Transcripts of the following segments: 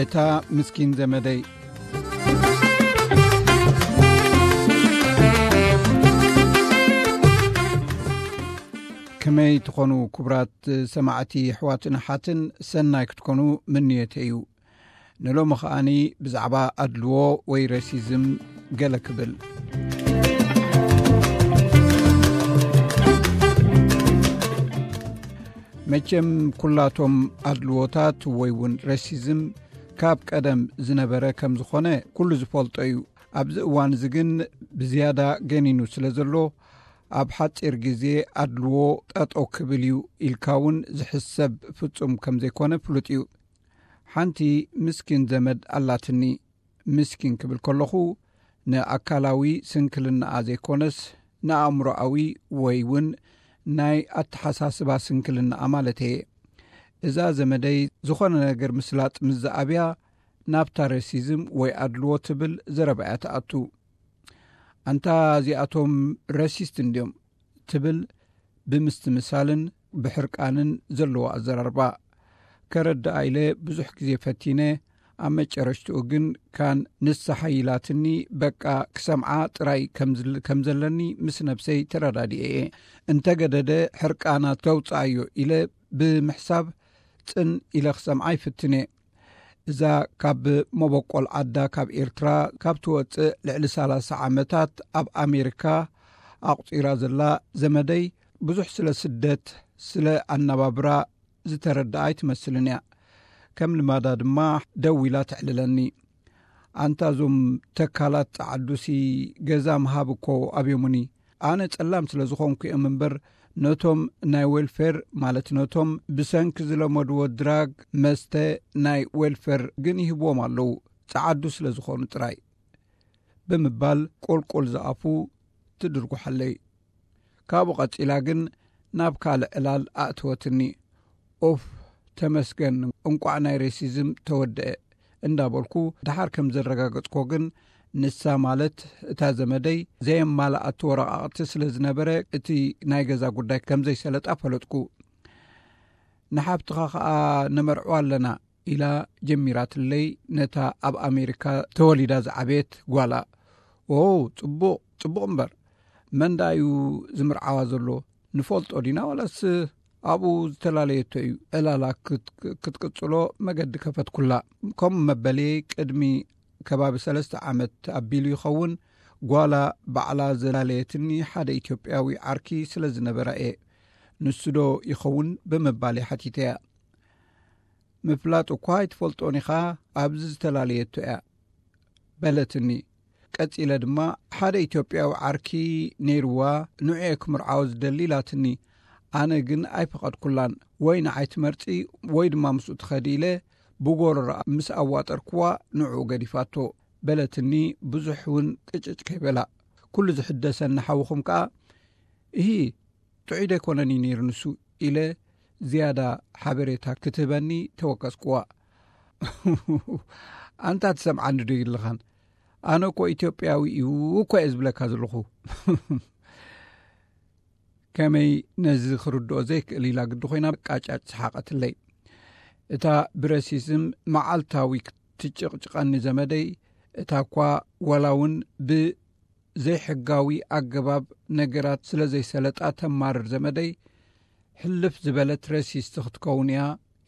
እታ ምስኪን ዘመደይ። ከመይ ትኾኑ ክቡራት ሰማዕቲ ኣሕዋትን ኣሓትን፣ ሰናይ ክትኮኑ ምንየተይ እዩ። ንሎሚ ኸኣኒ ብዛዕባ ኣድልዎ ወይ ሬሲዝም ገለ ክብል። መቸም ኩላቶም ኣድልዎታት ወይ እውን ሬሲዝም ካብ ቀደም ዝነበረ ከም ዝኾነ ኩሉ ዝፈልጦ እዩ። ኣብዚ እዋን እዚ ግን ብዝያዳ ገኒኑ ስለ ዘሎ፣ ኣብ ሓጺር ግዜ ኣድልዎ ጠጠው ክብል እዩ ኢልካ እውን ዝሕሰብ ፍጹም ከም ዘይኮነ ፍሉጥ እዩ። ሓንቲ ምስኪን ዘመድ ኣላትኒ። ምስኪን ክብል ከለኹ ንኣካላዊ ስንክልናኣ ዘይኮነስ፣ ንኣእምሮኣዊ ወይ እውን ናይ ኣተሓሳስባ ስንክልናኣ ማለት እየ። እዛ ዘመደይ ዝኾነ ነገር ምስላጥ ምስ ዝኣብያ፣ ናብታ ሬሲዝም ወይ ኣድልዎ ትብል ዘረባ እያ ትኣቱ። ኣንታ እዚኣቶም ሬሲስት እንድዮም ትብል ብምስትምሳልን ብሕርቃንን ዘለዎ ኣዘራርባ። ከረድኣ ኢለ ብዙሕ ግዜ ፈቲነ፣ ኣብ መጨረሽትኡ ግን ካን ንሳ ሓይላትኒ፣ በቃ ክሰምዓ ጥራይ ከም ዝል-፣ ከም ዘለኒ ምስ ነብሰይ ተረዳዲኤ እየ። እንተገደደ ሕርቃና ተውጽኣዮ ኢለ ብምሕሳብ ጽን ኢለ ክሰምዓ ይፍትነ። እዛ ካብ መበቆል ዓዳ ካብ ኤርትራ ካብ ትወጽእ ልዕሊ ሰላሳ ዓመታት ኣብ ኣሜሪካ ኣቑጺራ ዘላ ዘመደይ፣ ብዙሕ ስለ ስደት፣ ስለ ኣነባብራ ዝተረድኣ ኣይትመስልን እያ። ከም ልማዳ ድማ ደው ኢላ ተዕልለኒ። ኣንታ እዞም ተካላት ጸዓዱሲ ገዛ ምሃብ እኮ ኣብዮሙኒ። ኣነ ጸላም ስለ ዝኾንኩ እዮም እምበር፣ ነቶም ናይ ዌልፌር፣ ማለት ነቶም ብሰንኪ ዝለመድዎ ድራግ፣ መስተ፣ ናይ ዌልፌር ግን ይህብዎም ኣለዉ፣ ጸዓዱ ስለ ዝኾኑ ጥራይ፣ ብምባል ቁልቁል ዝኣፉ ትድርጉሓለይ። ካብኡ ቀጺላ ግን ናብ ካልእ ዕላል ኣእተወትኒ። ኡፍ፣ ተመስገን፣ እንቋዕ ናይ ሬሲዝም ተወደአ እንዳበልኩ፣ ደሓር ከም ዘረጋገጽኮ ግን፣ ንሳ ማለት እታ ዘመደይ ዘየማልኣቶ ወረቓቕቲ ስለ ዝነበረ፣ እቲ ናይ ገዛ ጉዳይ ከም ዘይሰለጣ ፈለጥኩ። ንሓብትኻ ኸኣ ነመርዕዋ ኣለና፣ ኢላ ጀሚራትለይ ነታ ኣብ ኣሜሪካ ተወሊዳ ዝዓበየት ጓላ። ኦ፣ ጽቡቕ፣ ጽቡቕ እምበር፣ መን ደኣ እዩ ዝምርዓዋ ዘሎ? ንፈልጦ ዲና ዋላስ ኣብኡ ዝተፈላለየቶ እዩ? ዕላላ ክት-፣ ክትቅጽሎ መገዲ ከፈትኩላ። ከምኡ መበልየይ ቅድሚ ከባቢ ሰለስተ ዓመት ኣቢሉ ይኸውን፣ ጓላ ባዕላ ዘላለየትኒ ሓደ ኢትዮጵያዊ ዓርኪ ስለ ዝነበራ እየ። ንሱ ዶ ይኸውን ብምባል እየ ሓቲተያ። ምፍላጥ እኳ ኣይትፈልጦን ኢኻ፣ ኣብዚ ዝተፈላለየቶ እያ በለትኒ። ቀጺለ ድማ፣ ሓደ ኢትዮጵያዊ ዓርኪ ነይርዋ፣ ንዑ እየ ክምርዓዎ ዝደሊ ኢላትኒ። ኣነ ግን ኣይፈቐድኩላን። ወይ ንዓይ ትመርጺ ወይ ድማ ምስኡ ትኸዲ ኢለ ብጎረሮኣ ምስ ኣዋጠርክዋ ንዕኡ ገዲፋቶ በለትኒ። ብዙሕ እውን ቅጭጭ ከይበላ፣ ኩሉ ዝሕደሰኒ ሓውኹም ከኣ፣ እሂ፣ ጥዑይ ደይኮነን እዩ ነይሩ ንሱ፣ ኢለ ዝያዳ ሓበሬታ ክትህበኒ ተወከስክዋ። ኣንታ ትሰምዓኒ ዶ ይልኻን? ኣነ እኮ ኢትዮጵያዊ እዩ እኮ እየ ዝብለካ ዘለኹ። ከመይ ነዚ ክርድኦ ዘይክእል ኢላ ግዲ ኮይና ቃጫጭ ሰሓቐትለይ። እታ ብረሲስም መዓልታዊ ክትጭቕጭቐኒ ዘመደይ፣ እታ እኳ ዋላ እውን ብ ዘይሕጋዊ ኣገባብ ነገራት ስለ ዘይሰለጣ ተማርር ዘመደይ፣ ሕልፍ ዝበለት ረሲስቲ ክትከውን እያ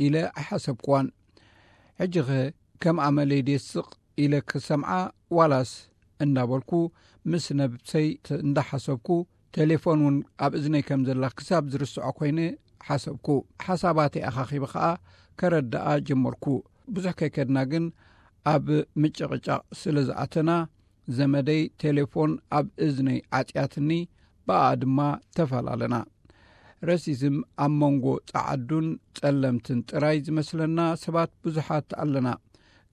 ኢለ ኣይሓሰብኩዋን። ሕጂኸ ከም ኣመለይ ድየ ስቕ ኢለ ክሰምዓ ዋላስ እንዳበልኩ ምስ ነብሰይ ተ-፣ እንዳሓሰብኩ፣ ቴሌፎን እውን ኣብ እዝነይ ከም ዘላ ክሳብ ዝርስዖ ኮይነ ሓሰብኩ። ሓሳባተይ ኣኻኺበ ኸኣ ከረድኣ ጀመርኩ። ብዙሕ ከይከድና ግን ኣብ ምጭቕጫቕ ስለ ዝኣተና፣ ዘመደይ ቴሌፎን ኣብ እዝነይ ዓጽያትኒ፣ ብኣ ድማ ተፈላለና። ረሲዝም ኣብ መንጎ ጸዓዱን ጸለምትን ጥራይ ዝመስለና ሰባት ብዙሓት ኣለና፣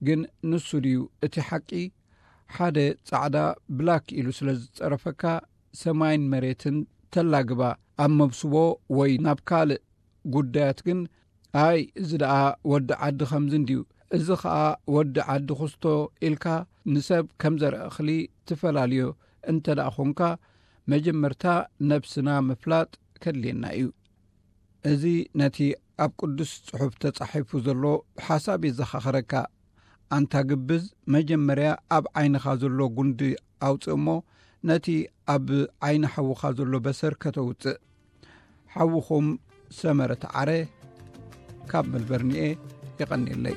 ግን ንሱ ድዩ እቲ ሓቂ? ሓደ ጻዕዳ ብላክ ኢሉ ስለ ዝጸረፈካ፣ ሰማይን መሬትን ተላግባ። ኣብ መብስቦ ወይ ናብ ካልእ ጉዳያት ግን፣ ኣይ፣ እዚ ደኣ ወዲ ዓዲ ከምዚ እንድዩ፣ እዚ ኸኣ ወዲ ዓዲ ኩስቶ ኢልካ ንሰብ ከም ዘርኢ እኽሊ ትፈላልዮ እንተ ደኣ ኾንካ፣ መጀመርታ ነብስና ምፍላጥ ከድልየና እዩ። እዚ ነቲ ኣብ ቅዱስ ጽሑፍ ተጻሒፉ ዘሎ ሓሳብ የዘኻኽረካ። ኣንታ ግብዝ፣ መጀመርያ ኣብ ዓይንኻ ዘሎ ጉንዲ ኣውፅእ እሞ፣ ነቲ ኣብ ዓይኒ ሓውኻ ዘሎ በሰር ከተውፅእ። ሓውኹም ሰመረ ተዓረ ካብ መልበርኒኤ። የቐንየለይ።